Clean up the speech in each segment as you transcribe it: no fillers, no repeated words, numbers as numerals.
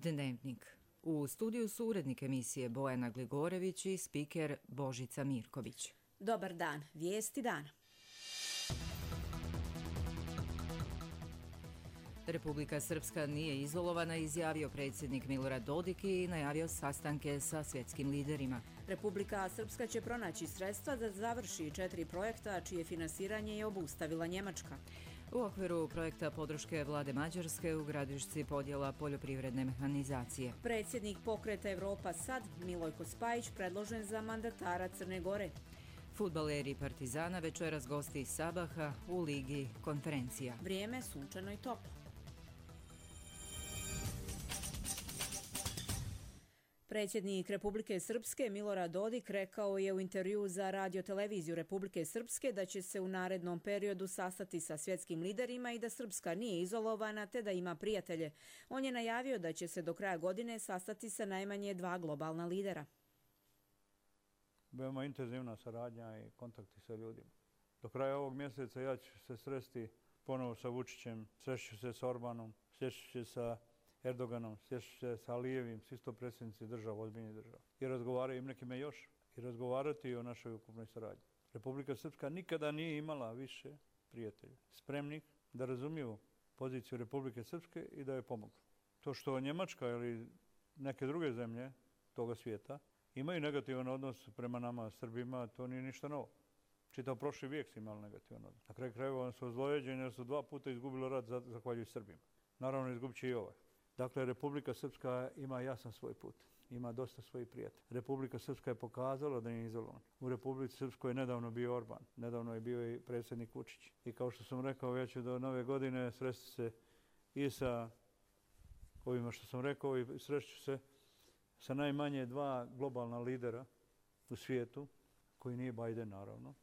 Dnevnik. U studiju su urednik emisije Bojana Gligorević i spiker Božica Mirković. Dobar dan, vijesti dana. Republika Srpska nije izolovana, izjavio predsjednik Milorad Dodik i najavio sastanke sa svjetskim liderima. Republika Srpska će pronaći sredstva da završi 4 projekta čije finansiranje je obustavila Njemačka. U okviru projekta podrške vlade Mađarske u Gradišci podjela poljoprivredne mehanizacije. Predsjednik pokreta Evropa Sad, Milojko Spajić, predložen za mandatara Crne Gore. Fudbaleri Partizana večeras gosti iz Sabaha u Ligi konferencija. Vrijeme sunčano i toplo. Predsjednik Republike Srpske Milorad Dodik rekao je u intervjuu za radioteleviziju Republike Srpske da će se u narednom periodu sastati sa svjetskim liderima i da Srpska nije izolovana te da ima prijatelje. On je najavio da će se do kraja godine sastati sa najmanje 2 globalna lidera. Veoma intenzivna saradnja i kontakti sa ljudima. Do kraja ovog mjeseca ja ću se sresti ponovo sa Vučićem, srešću se s Orbanom, srešću se sa Erdoganom, srešću se sa Alijevim, svi sto predsjednici država, ozbiljnih država. I razgovaraju im nekime još. I razgovarati o našoj ukupnoj saradnji. Republika Srpska nikada nije imala više prijatelja, spremnih da razumiju poziciju Republike Srpske i da joj pomognu. To što Njemačka ili neke druge zemlje toga svijeta imaju negativan odnos prema nama Srbima, to nije ništa novo. Čitav prošli vijek su imali negativan odnos. Na kraju krajeva oni su ozlojeđeni jer su 2 puta izgubili rat zahvaljujući Srbima. Naravno izgubit će i ovaj. Dakle, Republika Srpska ima jasan svoj put. Ima dosta svojih prijatelja. Republika Srpska je pokazala da nije izolovan. U Republici Srpskoj je nedavno bio Orban. Nedavno je bio i predsjednik Vučić. I kao što sam rekao, ja ću do nove godine sresti se i sa ovima što sam rekao i sreću se sa najmanje 2 globalna lidera u svijetu, koji nije Biden naravno,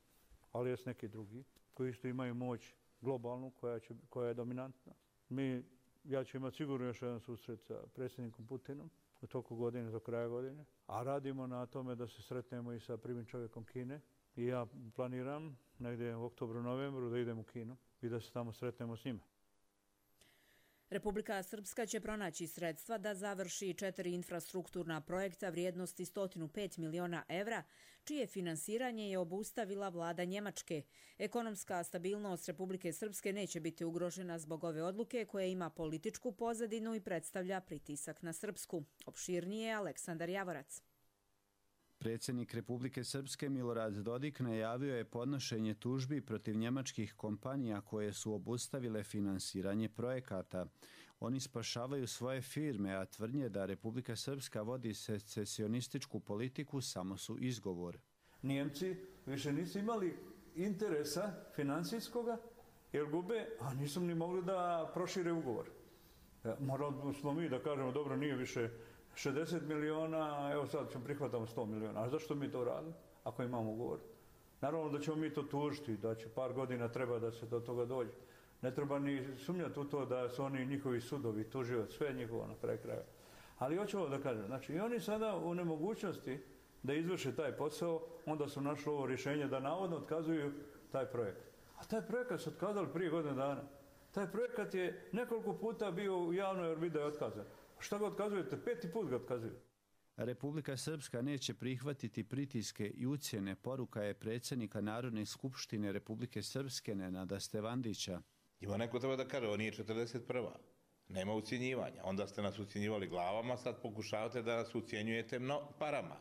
ali jest neki drugi, koji isto imaju moć globalnu koja je dominantna. Ja ću imati sigurno još jedan susret sa predsjednikom Putinom u toku godine, do kraja godine, a radimo na tome da se sretnemo i sa prvim čovjekom Kine i ja planiram negdje u oktobru, novembru da idem u Kinu i da se tamo sretnemo s njima. Republika Srpska će pronaći sredstva da završi 4 infrastrukturna projekta vrijednosti 105 miliona evra, čije finansiranje je obustavila vlada Njemačke. Ekonomska stabilnost Republike Srpske neće biti ugrožena zbog ove odluke koja ima političku pozadinu i predstavlja pritisak na Srpsku. Opširnije Aleksandar Javorac. Predsjednik Republike Srpske Milorad Dodik najavio je podnošenje tužbi protiv njemačkih kompanija koje su obustavile finansiranje projekata. Oni spašavaju svoje firme, a tvrdnje da Republika Srpska vodi secesionističku politiku samo su izgovor. Njemci više nisu imali interesa financijskoga jer gube, a nisu ni mogli da prošire ugovor. Morali smo mi da kažemo dobro, nije više 60 miliona, evo sad ćemo prihvatamo 100 miliona. A zašto mi to radimo ako imamo ugovor? Naravno da ćemo mi to tužiti, da će par godina treba da se do toga dođe. Ne treba ni sumnjati u to da su oni njihovi sudovi, tužioci, sve njihovo na kraju kraja. Ali hoću ovo da kažem, znači i oni sada u nemogućnosti da izvrše taj posao, onda su našli ovo rješenje da navodno otkazuju taj projekat. A taj projekat su otkazali prije godine dana. Taj projekat je nekoliko puta bio u javnoj orbiti da je otkazan. Šta ga otkazujete? 5. put ga otkazuju. Republika Srpska neće prihvatiti pritiske i ucjene, poruka je predsjednika Narodne skupštine Republike Srpske Nenada Stevandića. Ima neko treba da kaže, ovo nije 41. Nema ucjenjivanja. Onda ste nas ucjenjivali glavama, sad pokušavate da nas ucjenjujete parama.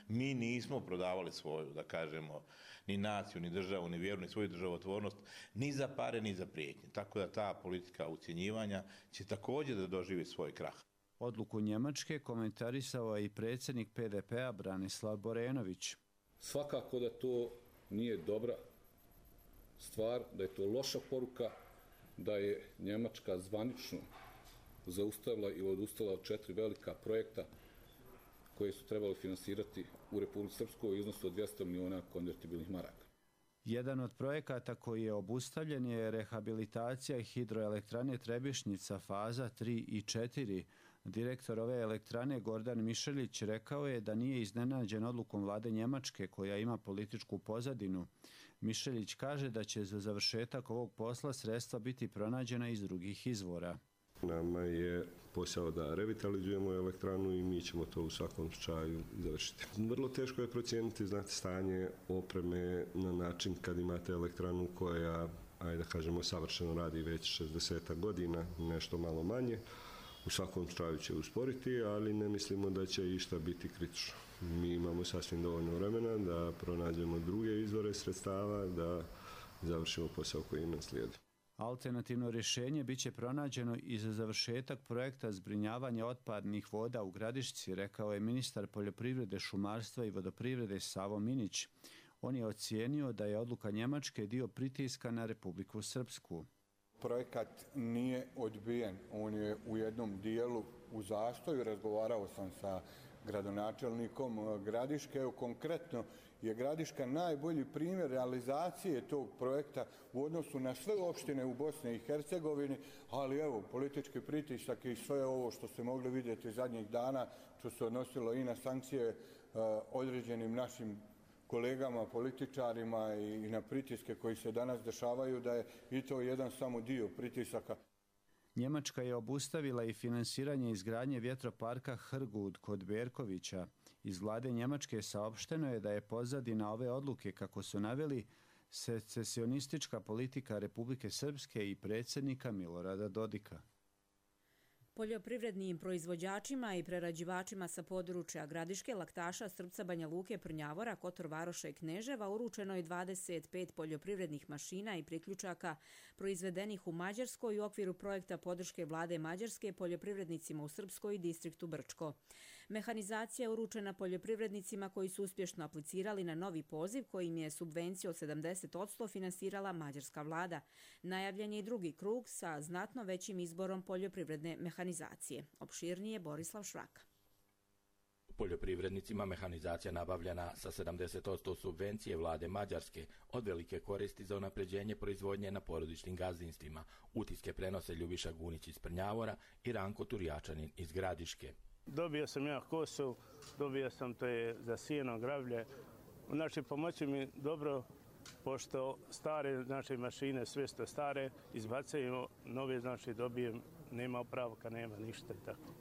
Mi nismo prodavali svoju, da kažemo, ni naciju, ni državu, ni vjeru, ni svoju državotvornost, ni za pare, ni za prijetnje. Tako da ta politika ucjenjivanja će također da doživi svoj krah. Odluku Njemačke komentarisao je i predsjednik PDP-a Branislav Borenović. Svakako da to nije dobra stvar, da je to loša poruka, da je Njemačka zvanično zaustavila i odustala od 4 velika projekta koje su trebali finansirati u Republici Srpskoj u iznosu od 200 miliona konvertibilnih maraka. Jedan od projekata koji je obustavljen je rehabilitacija hidroelektrane Trebišnjica faza 3 i 4. Direktor ove elektrane Gordan Mišelić rekao je da nije iznenađen odlukom vlade Njemačke koja ima političku pozadinu. Mišelić kaže da će za završetak ovog posla sredstva biti pronađena iz drugih izvora. Nama je posao da revitalizujemo elektranu i mi ćemo to u svakom slučaju završiti. Vrlo teško je procijeniti, znate, stanje opreme na način kad imate elektranu koja, ajde da kažemo, savršeno radi već 60 godina, nešto malo manje. U svakom slučaju će usporiti, ali ne mislimo da će išta biti kritično. Mi imamo sasvim dovoljno vremena da pronađemo druge izvore sredstava, da završimo posao koji nam slijedi. Alternativno rješenje biće pronađeno i za završetak projekta zbrinjavanja otpadnih voda u Gradišci, rekao je ministar poljoprivrede, šumarstva i vodoprivrede Savo Minić. On je ocijenio da je odluka Njemačke dio pritiska na Republiku Srpsku. Projekat nije odbijen, on je u jednom dijelu u zastoju. Razgovarao sam sa gradonačelnikom Gradiške. Evo, konkretno je Gradiška najbolji primjer realizacije tog projekta u odnosu na sve opštine u Bosni i Hercegovini, ali evo, politički pritisak i sve ovo što ste mogli vidjeti zadnjih dana, što se odnosilo i na sankcije određenim našim kolegama, političarima i na pritiske koji se danas dešavaju, da je i to jedan samo dio pritisaka. Njemačka je obustavila i finansiranje izgradnje vjetroparka Hrgud kod Berkovića. Iz vlade Njemačke saopšteno je da je pozadina ove odluke, kako su naveli, secesionistička politika Republike Srpske i predsjednika Milorada Dodika. Poljoprivrednim proizvođačima i prerađivačima sa područja Gradiške, Laktaša, Srpca, Banja Luke, Prnjavora, Kotor Varoša i Kneževa uručeno je 25 poljoprivrednih mašina i priključaka proizvedenih u Mađarskoj u okviru projekta podrške vlade Mađarske poljoprivrednicima u Srpskoj i distriktu Brčko. Mehanizacija je uručena poljoprivrednicima koji su uspješno aplicirali na novi poziv kojim je subvenciju od 70% finansirala mađarska vlada. Najavljen je i drugi krug sa znatno većim izborom poljoprivredne mehanizacije. Opširnije Borislav Švaka. Poljoprivrednicima mehanizacija nabavljena sa 70% subvencije vlade Mađarske od velike koristi za unapređenje proizvodnje na porodičnim gazdinstvima. Utiske prenose Ljubiša Gunić iz Prnjavora i Ranko Turjačanin iz Gradiške. Dobio sam ja kosu, dobio sam to je za sijeno gravlje. Znači, pomoći mi dobro, pošto stare naše mašine, sve što stare, izbacaju, nove znači dobijem, nema opravka, nema ništa i tako.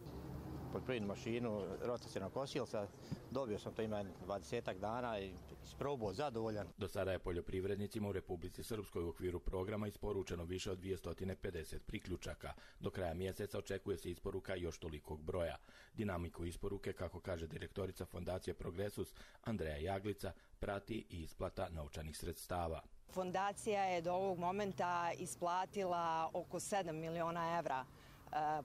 Poljoprivrednu mašinu, rotacionog kosilca, dobio sam to ima 20 dana i isprobao, zadovoljan. Do sada je poljoprivrednicima u Republici Srpskoj u okviru programa isporučeno više od 250 priključaka. Do kraja mjeseca očekuje se isporuka još tolikog broja. Dinamiku isporuke, kako kaže direktorica Fondacije Progresus Andreja Jaglica, prati i isplata novčanih sredstava. Fondacija je do ovog momenta isplatila oko 7 miliona evra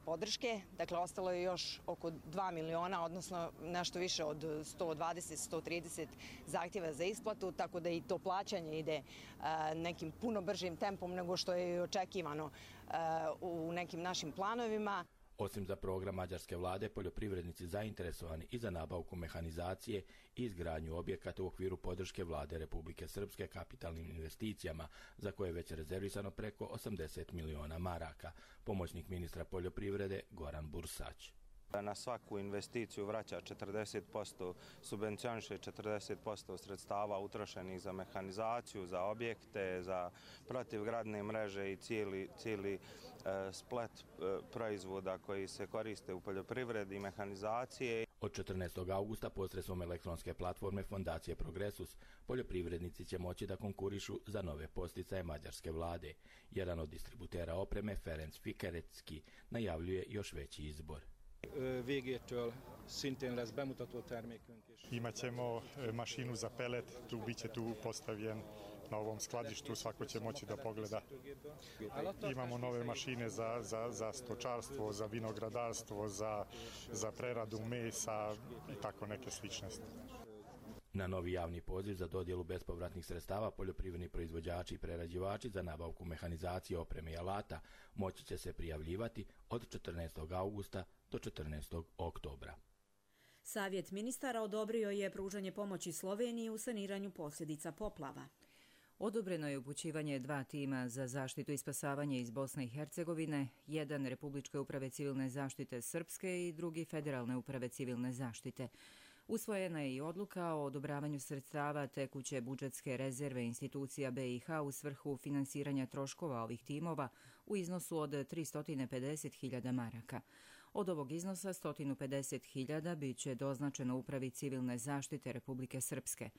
podrške, dakle ostalo je još oko 2 miliona, odnosno nešto više od 120-130 zahtjeva za isplatu, tako da i to plaćanje ide nekim puno bržim tempom nego što je očekivano u nekim našim planovima. Osim za program mađarske vlade, poljoprivrednici zainteresovani i za nabavku mehanizacije i izgradnju objekata u okviru podrške vlade Republike Srpske kapitalnim investicijama, za koje je već rezervisano preko 80 miliona maraka. Pomoćnik ministra poljoprivrede Goran Bursać. Na svaku investiciju vraća 40%, subvencioniše 40% sredstava utrošenih za mehanizaciju, za objekte, za protivgradne mreže i cijeli splet proizvoda koji se koriste u poljoprivredi i mehanizacije. Od 14. augusta posredstvom elektronske platforme Fondacije Progresus poljoprivrednici će moći da konkurišu za nove posticaje mađarske vlade. Jedan od distributera opreme, Ferenc Fikerecki, najavljuje još veći izbor. Imaćemo mašinu za pelet, biće tu postavljen na ovom skladištu, svako će moći da pogleda. Imamo nove mašine za stočarstvo, za vinogradarstvo, za preradu mesa i tako neke sličnosti. Na novi javni poziv za dodjelu bespovratnih sredstava poljoprivredni proizvođači i prerađivači za nabavku mehanizacije, opreme i alata moći će se prijavljivati od 14. augusta do 14. oktobra. Savjet ministara odobrio je pružanje pomoći Sloveniji u saniranju posljedica poplava. Odobreno je upućivanje 2 tima za zaštitu i spasavanje iz Bosne i Hercegovine, jedan Republičke uprave civilne zaštite Srpske i drugi Federalne uprave civilne zaštite. Usvojena je i odluka o odobravanju sredstava tekuće budžetske rezerve institucija BiH u svrhu finansiranja troškova ovih timova u iznosu od 350.000 maraka. Od ovog iznosa 150.000 bit će doznačeno Upravi civilne zaštite Republike Srpske.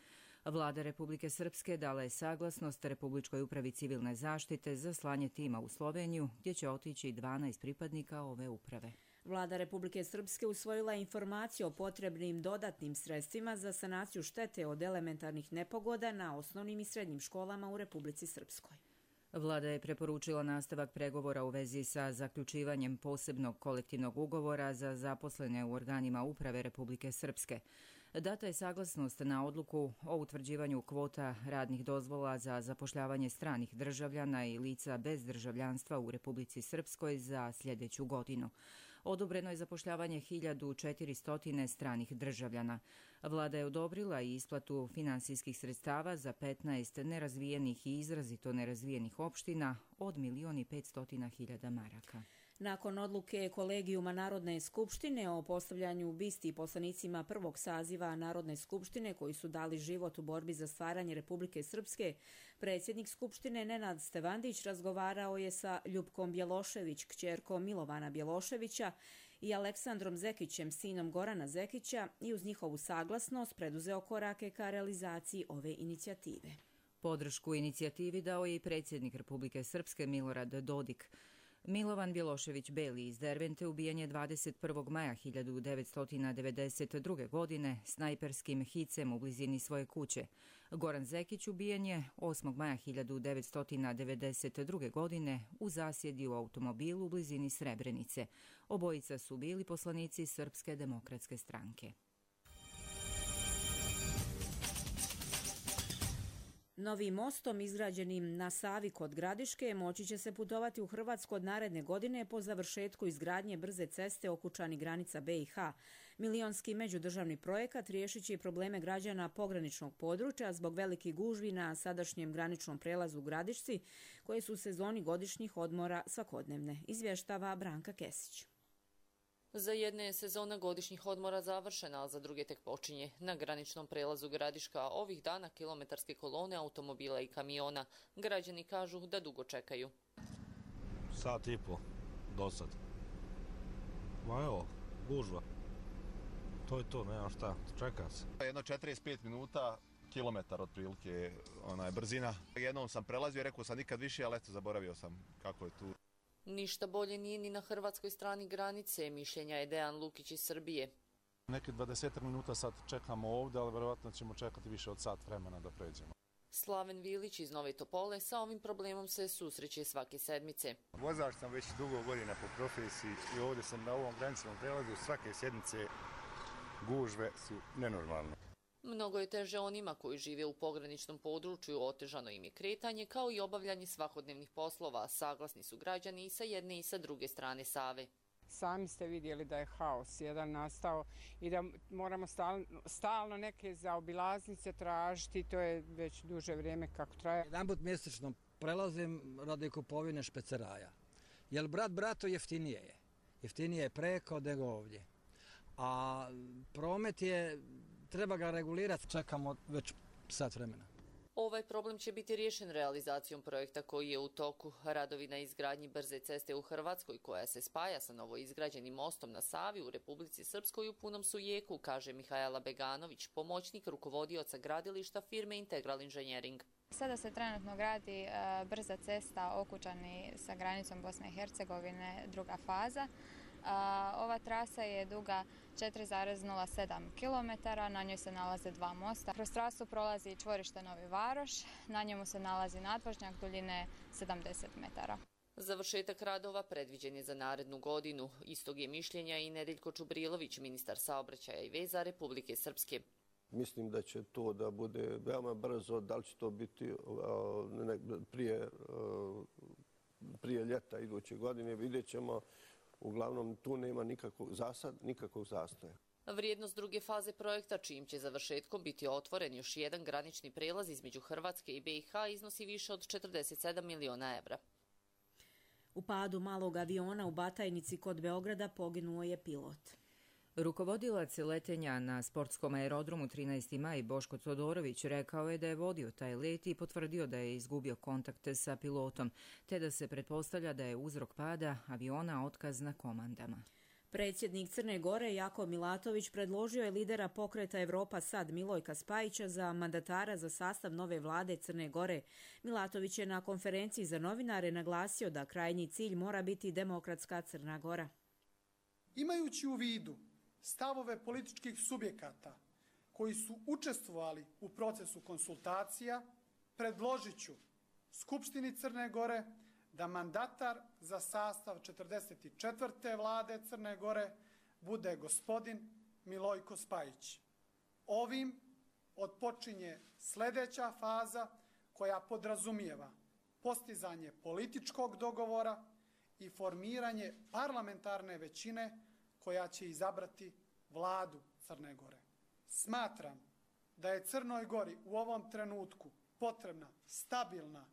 Vlada Republike Srpske dala je saglasnost Republičkoj upravi civilne zaštite za slanje tima u Sloveniju, gdje će otići 12 pripadnika ove uprave. Vlada Republike Srpske usvojila je informaciju o potrebnim dodatnim sredstvima za sanaciju štete od elementarnih nepogoda na osnovnim i srednjim školama u Republici Srpskoj. Vlada je preporučila nastavak pregovora u vezi sa zaključivanjem posebnog kolektivnog ugovora za zaposlene u organima uprave Republike Srpske. Data je saglasnost na odluku o utvrđivanju kvota radnih dozvola za zapošljavanje stranih državljana i lica bez državljanstva u Republici Srpskoj za sljedeću godinu. Odobreno je zapošljavanje 1400 stranih državljana. Vlada je odobrila i isplatu finansijskih sredstava za 15 nerazvijenih i izrazito nerazvijenih opština od 1.500.000 maraka. Nakon odluke Kolegijuma Narodne skupštine o postavljanju bisti poslanicima prvog saziva Narodne skupštine koji su dali život u borbi za stvaranje Republike Srpske, predsjednik Skupštine Nenad Stevandić razgovarao je sa Ljupkom Bjelošević, kćerkom Milovana Bjeloševića, i Aleksandrom Zekićem, sinom Gorana Zekića, i uz njihovu saglasnost preduzeo korake ka realizaciji ove inicijative. Podršku inicijativi dao je i predsjednik Republike Srpske Milorad Dodik. Milovan Bjelošević Beli iz Dervente ubijen je 21. maja 1992. godine snajperskim hicem u blizini svoje kuće. Goran Zekić ubijen je 8. maja 1992. godine u zasjedi u automobilu u blizini Srebrenice. Obojica su bili poslanici Srpske demokratske stranke. Novim mostom izgrađenim na Savi kod Gradiške moći će se putovati u Hrvatsku od naredne godine po završetku izgradnje brze ceste Okučani granica BiH. Milionski međudržavni projekat riješit će i probleme građana pograničnog područja zbog velikih gužvi na sadašnjem graničnom prelazu u Gradišci, koje su u sezoni godišnjih odmora svakodnevne, izvještava Branka Kesić. Za jedne je sezona godišnjih odmora završena, a za druge tek počinje. Na graničnom prelazu Gradiška ovih dana kilometarske kolone automobila i kamiona. Građani kažu da dugo čekaju. Sat i po do sad. Ma evo, gužva. To je to, nema šta, čeka se. Jedno 45 minuta, kilometar otprilike brzina. Jednom sam prelazio, rekao sam nikad više, ali eto, zaboravio sam kako je tu. Ništa bolje nije ni na hrvatskoj strani granice, mišljenja je Dejan Lukić iz Srbije. Neki 20 minuta sad čekamo ovdje, ali verovatno ćemo čekati više od sat vremena da pređemo. Slaven Vilić iz Nove Topole sa ovim problemom se susreće svake sedmice. Vozač sam već dugo godina po profesiji i ovdje sam na ovom graničnom prelazu. Svake sedmice gužve su nenormalne. Mnogo je teže onima koji žive u pograničnom području, otežano im je kretanje kao i obavljanje svakodnevnih poslova. Saglasni su građani i sa jedne i sa druge strane Save. Sami ste vidjeli da je haos jedan nastao i da moramo stalno neke zaobilaznice tražiti, to je već duže vrijeme kako traje. Jedanput mjesečno prelazim radi kupovine špeceraja, jer brat bratu jeftinije je preko nego ovdje, a promet je, treba ga regulirati, čekamo već sat vremena. Ovaj problem će biti riješen realizacijom projekta koji je u toku. Radovi na izgradnji brze ceste u Hrvatskoj, koja se spaja sa novoizgrađenim mostom na Savi u Republici Srpskoj, u punom su jeku, kaže Mihajla Beganović, pomoćnik rukovodioca gradilišta firme Integral Inženjering. Sada se trenutno gradi brza cesta Okučani sa granicom Bosne i Hercegovine, druga faza. Ova trasa je duga 4,07 km, na njoj se nalaze dva mosta. Kroz trasu prolazi čvorište Novi Varoš, na njemu se nalazi nadvožnjak duljine 70 metara. Završetak radova predviđen je za narednu godinu. Istog je mišljenja i Nedeljko Čubrilović, ministar saobraćaja i veza Republike Srpske. Mislim da će to da bude veoma brzo, da li će to biti prije ljeta iduće godine, vidjet ćemo. Uglavnom, tu nema nikakvog zastoja. Vrijednost druge faze projekta, čijim će završetkom biti otvoren još jedan granični prelaz između Hrvatske i BiH, iznosi više od 47 miliona evra. U padu malog aviona u Batajnici kod Beograda poginuo je pilot. Rukovodilac letenja na sportskom aerodromu 13. maj Boško Todorović rekao je da je vodio taj let i potvrdio da je izgubio kontakte sa pilotom, te da se pretpostavlja da je uzrok pada aviona otkaz na komandama. Predsjednik Crne Gore Jakov Milatović predložio je lidera pokreta Evropa Sad Milojka Spajića za mandatara za sastav nove vlade Crne Gore. Milatović je na konferenciji za novinare naglasio da krajnji cilj mora biti demokratska Crna Gora. Imajući u vidu stavove političkih subjekata koji su učestvovali u procesu konsultacija, predložit ću Skupštini Crne Gore da mandatar za sastav 44. vlade Crne Gore bude gospodin Milojko Spajić. Ovim otpočinje sljedeća faza koja podrazumijeva postizanje političkog dogovora i formiranje parlamentarne većine koja će izabrati vladu Crne Gore. Smatram da je Crnoj Gori u ovom trenutku potrebna stabilna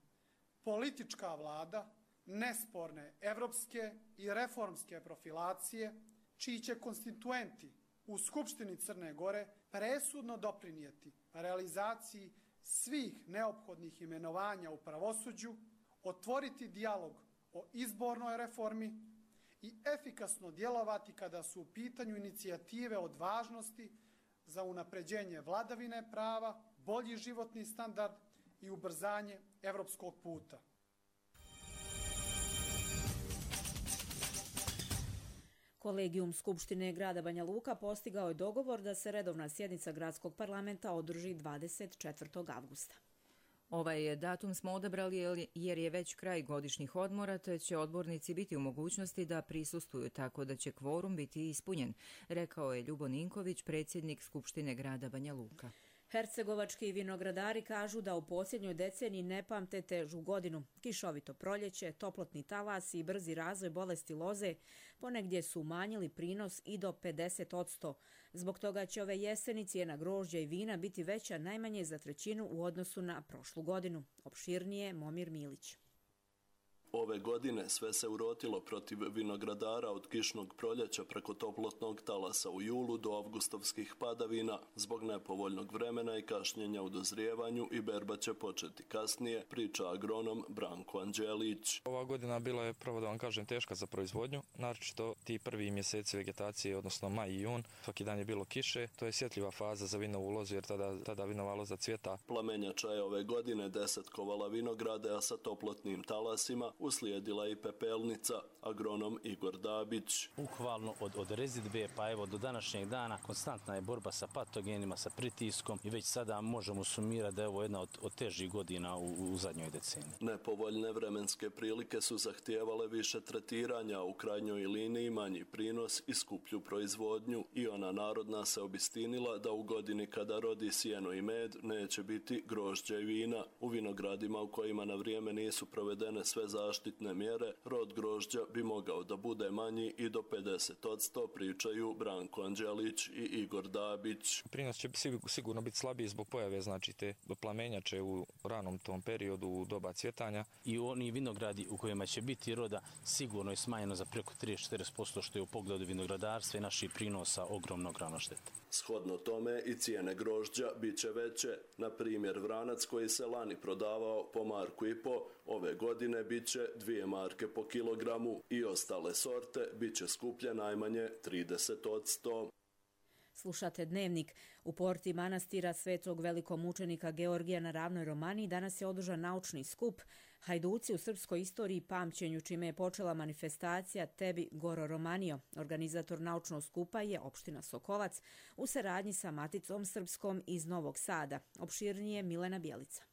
politička vlada, nesporne evropske i reformske profilacije, čiji će konstituenti u Skupštini Crne Gore presudno doprinijeti realizaciji svih neophodnih imenovanja u pravosuđu, otvoriti dijalog o izbornoj reformi i efikasno djelovati kada su u pitanju inicijative od važnosti za unapređenje vladavine prava, bolji životni standard i ubrzanje evropskog puta. Kolegijum Skupštine grada Banja Luka postigao je dogovor da se redovna sjednica gradskog parlamenta održi 24. avgusta. Ovaj datum smo odabrali jer je već kraj godišnjih odmora, te će odbornici biti u mogućnosti da prisustvuju, tako da će kvorum biti ispunjen, rekao je Ljubo Ninković, predsjednik Skupštine grada Banja Luka. Hercegovački vinogradari kažu da u posljednjoj deceniji ne pamte težu godinu. Kišovito proljeće, toplotni talas i brzi razvoj bolesti loze ponegdje su umanjili prinos i do 50%. Zbog toga će ove jeseni cijena grožđa i vina biti veća najmanje za trećinu u odnosu na prošlu godinu. Opširnije Momir Milić. Ove godine sve se urotilo protiv vinogradara od kišnog proljeća preko toplotnog talasa u julu do avgustovskih padavina. Zbog nepovoljnog vremena i kašnjenja u dozrijevanju i berba će početi kasnije, priča agronom Branko Anđelić. Ova godina bila je, pravo da vam kažem, teška za proizvodnju, naročito ti prvi mjeseci vegetacije, odnosno maj i jun. Svaki dan je bilo kiše, to je sjetljiva faza za vinovu lozu jer tada vinova loza cvjeta. Plamenjača je ove godine desetkovala vinograde, a sa toplotnim talasima uslijedila i pepelnica, agronom Igor Dabić. Bukvalno od rezidbe pa evo do današnjeg dana konstantna je borba sa patogenima, sa pritiskom i već sada možemo sumirati da je ovo jedna od težih godina u zadnjoj deceniji. Nepovoljne vremenske prilike su zahtijevale više tretiranja, u krajnjoj liniji manji prinos i skuplju proizvodnju i ona narodna se obistinila da u godini kada rodi sjeno i med neće biti grožđa i vina. U vinogradima u kojima na vrijeme nisu provedene sve zaštitne mjere, rod grožđa bi mogao da bude manji i do 50%, pričaju Branko Anđelić i Igor Dabić. Prinos će sigurno biti slabiji zbog pojave, znači te plamenjače u ranom tom periodu u doba cvjetanja. I oni vinogradi u kojima će biti roda sigurno je smanjeno za preko 30-40%, što je u pogledu vinogradarstva i naših prinosa ogromna šteta. Shodno tome i cijene grožđa bit će veće. Na primjer, vranac koji se lani prodavao po marku i po, ove godine bit će 2 marke po kilogramu i ostale sorte bit će skuplje najmanje 30%. Slušate Dnevnik. U porti manastira Svetog velikomučenika Georgija na Ravnoj Romaniji danas je održan naučni skup Hajduci u srpskoj istoriji i pamćenju, čime je počela manifestacija Tebi Goro Romanio. Organizator naučnog skupa je opština Sokolac u saradnji sa Maticom Srpskom iz Novog Sada. Opširnije Milena Bjelica.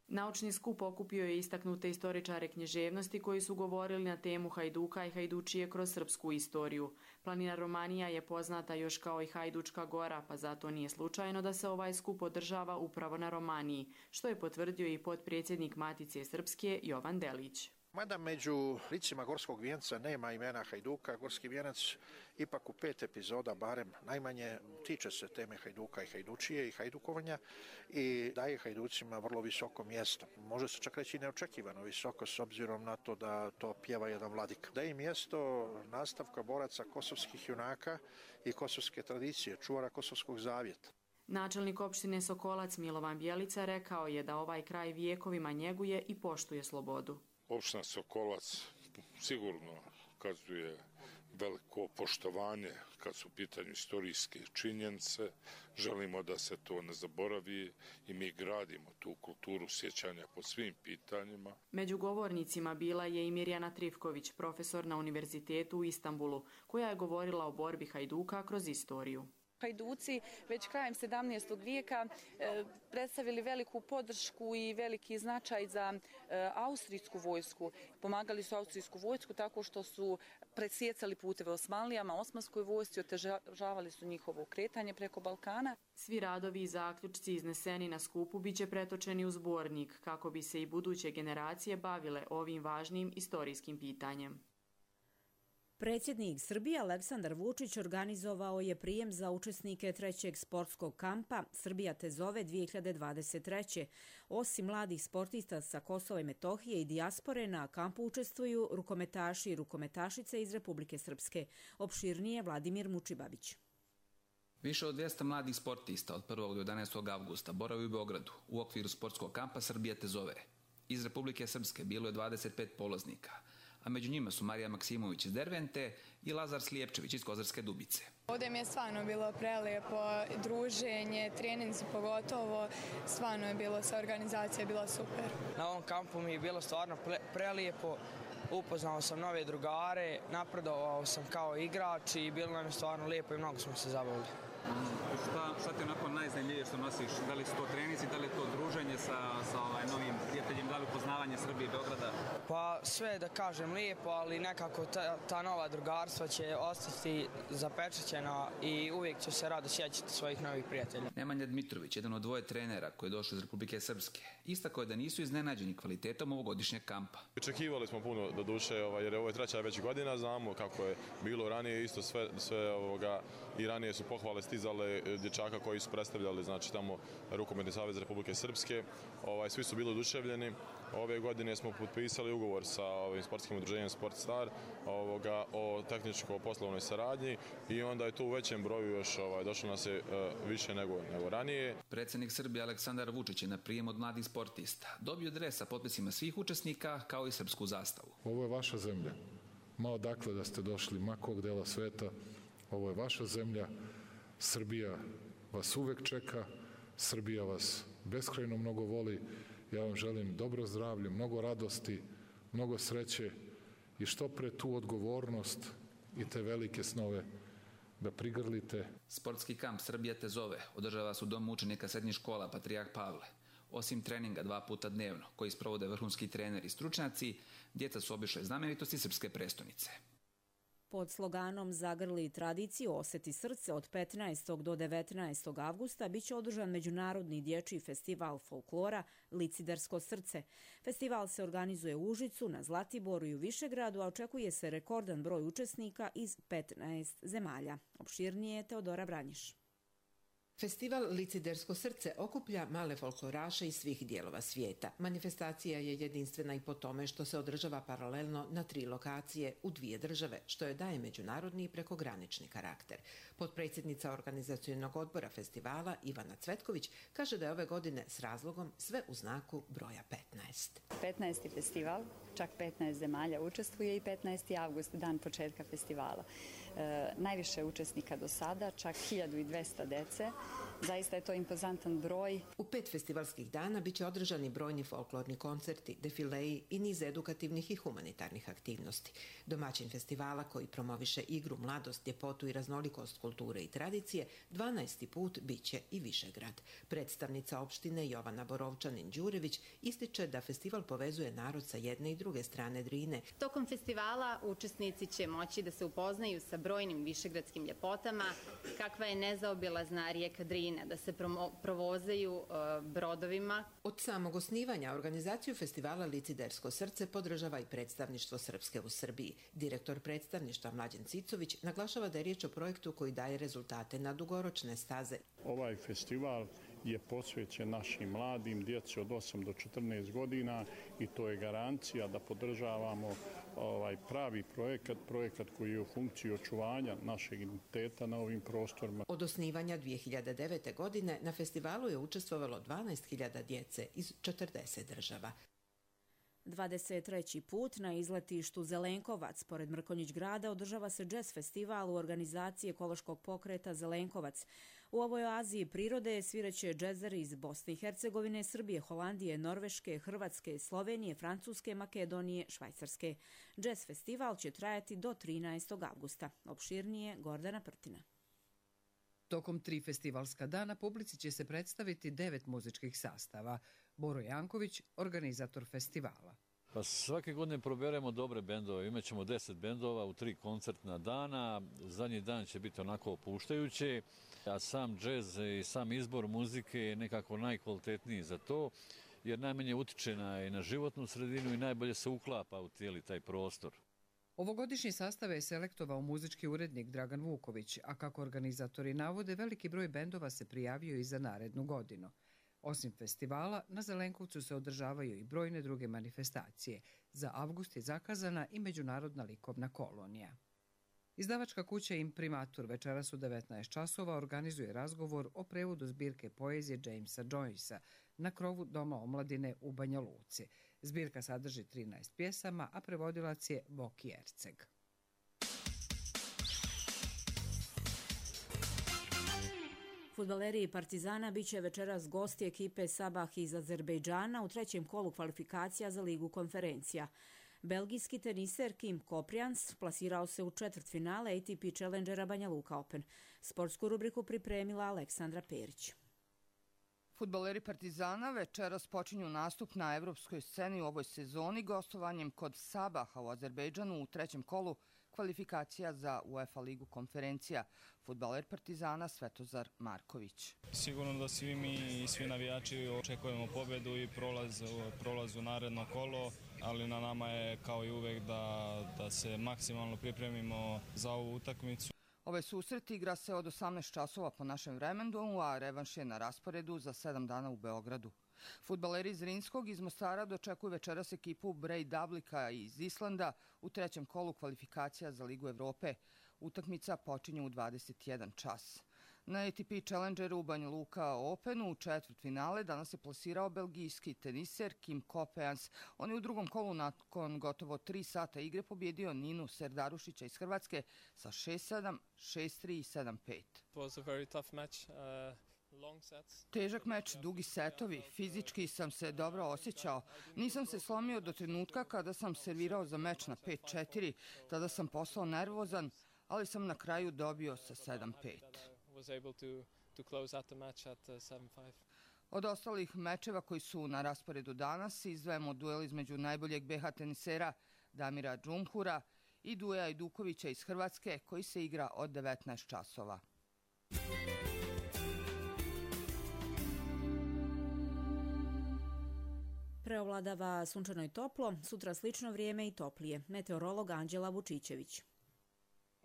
Naučni skup okupio je istaknute istoričare književnosti koji su govorili na temu Hajduka i Hajdučije kroz srpsku istoriju. Planina Romanija je poznata još kao i Hajdučka gora, pa zato nije slučajno da se ovaj skup održava upravo na Romaniji, što je potvrdio i potpredsjednik Matice Srpske Jovan Delić. Mada među licima Gorskog vijenca nema imena Hajduka, Gorski vijenac ipak u 5 epizoda barem najmanje tiče se teme Hajduka i Hajdučije i hajdukovanja i daje Hajducima vrlo visoko mjesto. Može se čak reći neočekivano visoko s obzirom na to da to pjeva jedan vladika. Daje mjesto nastavka boraca kosovskih junaka i kosovske tradicije, čuvara kosovskog zavjeta. Načelnik opštine Sokolac Milovan Bjelica rekao je da ovaj kraj vijekovima njeguje i poštuje slobodu. Opština Sokolac sigurno ukazuje veliko poštovanje kad su u pitanju istorijske činjenice. Želimo da se to ne zaboravi i mi gradimo tu kulturu sjećanja po svim pitanjima. Među govornicima bila je i Mirjana Trifković, profesor na Univerzitetu u Istanbulu, koja je govorila o borbi Hajduka kroz istoriju. Hajduci već krajem 17. vijeka predstavili veliku podršku i veliki značaj za austrijsku vojsku. Pomagali su austrijsku vojsku tako što su presjecali puteve Osmanlijama, osmanskoj vojsci, otežavali su njihovo kretanje preko Balkana. Svi radovi i zaključci izneseni na skupu biće pretočeni u zbornik kako bi se i buduće generacije bavile ovim važnim istorijskim pitanjem. Predsjednik Srbije Aleksandar Vučić organizovao je prijem za učesnike 3. sportskog kampa Srbija te zove 2023. Osim mladih sportista sa Kosova i Metohije i dijaspore, na kampu učestvuju rukometaši i rukometašice iz Republike Srpske. Opširnije Vladimir Mučibabić. Više od 200 mladih sportista od 1. do 11. avgusta boravi u Beogradu u okviru sportskog kampa Srbija te zove. Iz Republike Srpske bilo je 25 polaznika, a među njima su Marija Maksimović iz Dervente i Lazar Slijepčević iz Kozarske Dubice. Ovdje mi je stvarno bilo prelijepo, druženje, treninzi pogotovo, stvarno je bilo, sa organizacija bila super. Na ovom kampu mi je bilo stvarno prelijepo, upoznao sam nove drugare, napredovao sam kao igrač i bilo nam je stvarno lijepo i mnogo smo se zabavili. Šta ti je onako najzanimljivije što nosiš? Da li su to treninzi, da li je to druženje sa novim prijateljima, da li upoznavanje Srbije i Beograda? Pa sve da kažem lijepo, ali nekako ta nova drugarstva će ostati zapečaćena i uvijek će se rado sjećati svojih novih prijatelja. Nemanja Dmitrović, jedan od dvoje trenera koji je došao iz Republike Srpske, istakao je da nisu iznenađeni kvalitetom ovogodišnjeg kampa. Očekivali smo puno do duše, jer ovo je treća već godina, znamo kako je bilo ranije, isto sve i ranije su pohvale stizale dječaka koji su predstavljali, znači tamo Rukometni savez Republike Srpske, svi su bili oduševljeni. Ove godine smo potpisali ugovor sa ovim sportskim udruženjem Sport Star o tehničko-poslovnoj saradnji i onda je to u većem broju još došlo nas je više nego ranije. Predsjednik Srbije Aleksandar Vučić je na prijem od mladih sportista dobio dres sa potpisima svih učesnika kao i srpsku zastavu. Ovo je vaša zemlja. Ma odakle da ste došli, ma kog dela sveta, ovo je vaša zemlja. Srbija vas uvek čeka, Srbija vas beskrajno mnogo voli. Ja vam želim dobro zdravlje, mnogo radosti, mnogo sreće i što pre tu odgovornost i te velike snove da prigrlite. Sportski kamp Srbija te zove održava se u domu učenika srednjih škola Patrijarh Pavle. Osim treninga 2 puta dnevno, koji sprovode vrhunski treneri i stručnjaci, djeca su obišle znamenitosti srpske prestonice. Pod sloganom Zagrli tradiciju, osjeti srce od 15. do 19. avgusta biće održan Međunarodni dječji festival folklora Licidersko srce. Festival se organizuje u Užicu, na Zlatiboru i u Višegradu, a očekuje se rekordan broj učesnika iz 15 zemalja. Opširnije Teodora Vranjiš. Festival Licidersko srce okuplja male folkloraše iz svih dijelova svijeta. Manifestacija je jedinstvena i po tome što se održava paralelno na 3 lokacije u 2 države, što je daje međunarodni i prekogranični karakter. Potpredsjednica organizacionog odbora festivala Ivana Cvetković kaže da je ove godine s razlogom sve u znaku broja 15. 15. festival, čak 15 zemalja učestvuje i 15. avgust, dan početka festivala. Najviše učesnika do sada, čak 1200 dece. Zaista je to impozantan broj. U 5 festivalskih dana biće održani brojni folklorni koncerti, defileji i niz edukativnih i humanitarnih aktivnosti. Domaćin festivala, koji promoviše igru, mladost, ljepotu i raznolikost kulture i tradicije, 12. put biće i Višegrad. Predstavnica opštine Jovana Borovčanin-Đurević ističe da festival povezuje narod sa jedne i druge strane Drine. Tokom festivala učesnici će moći da se upoznaju sa brojnim višegradskim ljepotama, kakva je nezaobilazna rijeka Drina. marine, da se provozaju brodovima. Od samog osnivanja organizaciju festivala Licidersko srce podržava i predstavništvo Srpske u Srbiji. Direktor predstavništva Mlađan Cicović naglašava da je riječ o projektu koji daje rezultate na dugoročne staze. Ovaj festival je posvećen našim mladim, djeci od 8 do 14 godina i to je garancija da podržavamo pravi projekat koji je u funkciji očuvanja našeg identiteta na ovim prostorima. Od osnivanja 2009. godine na festivalu je učestvovalo 12.000 djece iz 40 država. 23. put na izletištu Zelenkovac, pored Mrkonjić grada, održava se džez festival u organizaciji ekološkog pokreta Zelenkovac. U ovoj oaziji prirode sviraće džezeri iz Bosne i Hercegovine, Srbije, Holandije, Norveške, Hrvatske, Slovenije, Francuske, Makedonije, Švajcarske. Džez festival će trajati do 13. avgusta. Opširnije Gordana Prtina. Tokom 3 festivalska dana publici će se predstaviti 9 muzičkih sastava. Boro Janković, organizator festivala. Pa svake godine proberemo dobre bendove. Imaćemo 10 bendova u 3 koncertna dana. Zadnji dan će biti onako opuštajući, a sam džez i sam izbor muzike je nekako najkvalitetniji za to, jer najmanje utiče na životnu sredinu i najbolje se uklapa u cijeli taj prostor. Ovogodišnji sastav je selektovao muzički urednik Dragan Vuković, a kako organizatori navode, veliki broj bendova se prijavio i za narednu godinu. Osim festivala, na Zelenkovcu se održavaju i brojne druge manifestacije. Za avgust je zakazana i Međunarodna likovna kolonija. Izdavačka kuća Imprimatur večeras u 19 časova organizuje razgovor o prevodu zbirke poezije Jamesa Joycea na krovu Doma omladine u Banja Luci. Zbirka sadrži 13 pjesama, a prevodilac je Voki Erceg. Fudbaleri Partizana biće večeras gosti ekipe Sabah iz Azerbejdžana u 3. kolu kvalifikacija za Ligu konferencija. Belgijski teniser Kim Koprijans plasirao se u četvrtfinale ATP Challengera Banja Luka Open. Sportsku rubriku pripremila Aleksandra Perić. Fudbaleri Partizana večeras počinju nastup na evropskoj sceni u ovoj sezoni gostovanjem kod Sabaha u Azerbejdžanu u 3. kolu kvalifikacija za UEFA ligu konferencija. Fudbaler Partizana Svetozar Marković. Sigurno da svi mi i svi navijači očekujemo pobjedu i prolaz u naredno kolo, ali na nama je kao i uvek da se maksimalno pripremimo za ovu utakmicu. Ovaj susret igra se od 18 časova po našem vremenu, a revanš je na rasporedu za 7 dana u Beogradu. Fudbaleri iz Rinskog iz Mostara dočekuju večeras ekipu Breiðablika iz Islanda u 3. kolu kvalifikacija za Ligu Evrope. Utakmica počinje u 21 čas. Na ATP Challengeru u Banja Luka Openu u četvrtfinale danas se plasirao belgijski teniser Kim Koprijans. On je u 2. kolu nakon gotovo 3 sata igre pobjedio Ninu Serdarušića iz Hrvatske sa 6-7, 6-3 i 7-5. Težak meč, dugi setovi, fizički sam se dobro osjećao. Nisam se slomio do trenutka kada sam servirao za meč na 5-4. Tada sam postao nervozan, ali sam na kraju dobio sa 7-5. Od ostalih mečeva koji su na rasporedu danas izdvajamo duel između najboljeg BH tenisera Damira Džumhura i Duja Ajdukovića iz Hrvatske koji se igra od 19 časova. Preovladava sunčano i toplo, sutra slično vrijeme i toplije. Meteorolog Anđela Vučićević.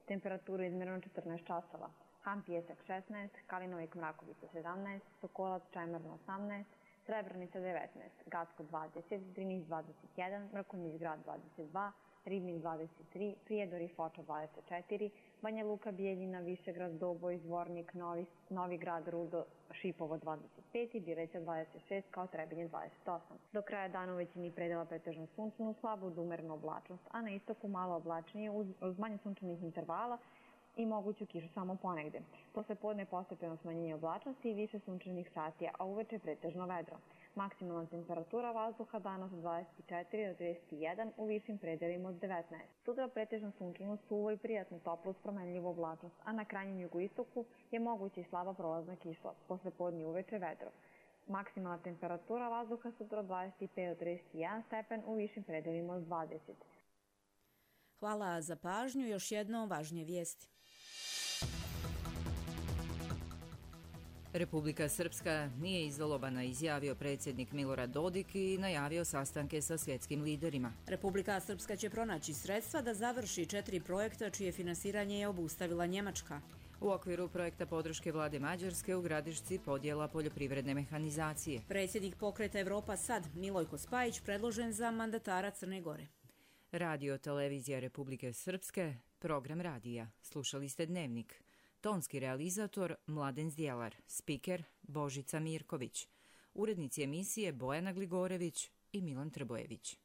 Temperaturu izmjereno 14 časova. Han Pijesak 16, Kalinovik Mrakovica 17, Sokolac Čajmarno 18, Srebrnica 19, Gacko 20, Drinis 21, Mrkonjić grad 22, Ribnik 23, Prijedor i Foča 24, Banja Luka, Bijeljina, Višegrad, Doboj, Zvornik, Novi Grad, Rudo, Šipovo 25 i Bireća 26 kao Trebinje 28. Do kraja dana u većini predela pretežno sunčanu, slabu do umerenu oblačnost, a na istoku malo oblačnije uz manje sunčanih intervala i moguću kišu samo ponegde. Posle podne postepeno smanjenje oblačnosti i više sunčanih sati, a uveče pretežno vedro. Maksimalna temperatura vazduha danas od 24 do 31, u višim predelima od 19. Sutra pretežno sunčano, suvo i prijatno toplo uz promenljivu oblačnost, a na krajnjem jugoistoku je moguća i slaba prolazna kiša, posle podne uveče vedro. Maksimalna temperatura vazduha sutra od 25 do 31 stepen, u višim predelima od 20. Hvala za pažnju, još jedno važnije vijesti. Republika Srpska nije izolovana, izjavio predsjednik Milorad Dodik i najavio sastanke sa svjetskim liderima. Republika Srpska će pronaći sredstva da završi 4 projekta čije finansiranje je obustavila Njemačka. U okviru projekta podrške vlade Mađarske u Gradišci podjela poljoprivredne mehanizacije. Predsjednik pokreta Evropa Sad, Milojko Spajić, predložen za mandatara Crne Gore. Radio televizija Republike Srpske, program radija. Slušali ste Dnevnik. Tonski realizator Mladen Zdjelar, spiker Božica Mirković, urednici emisije Bojana Gligorević i Milan Trbojević.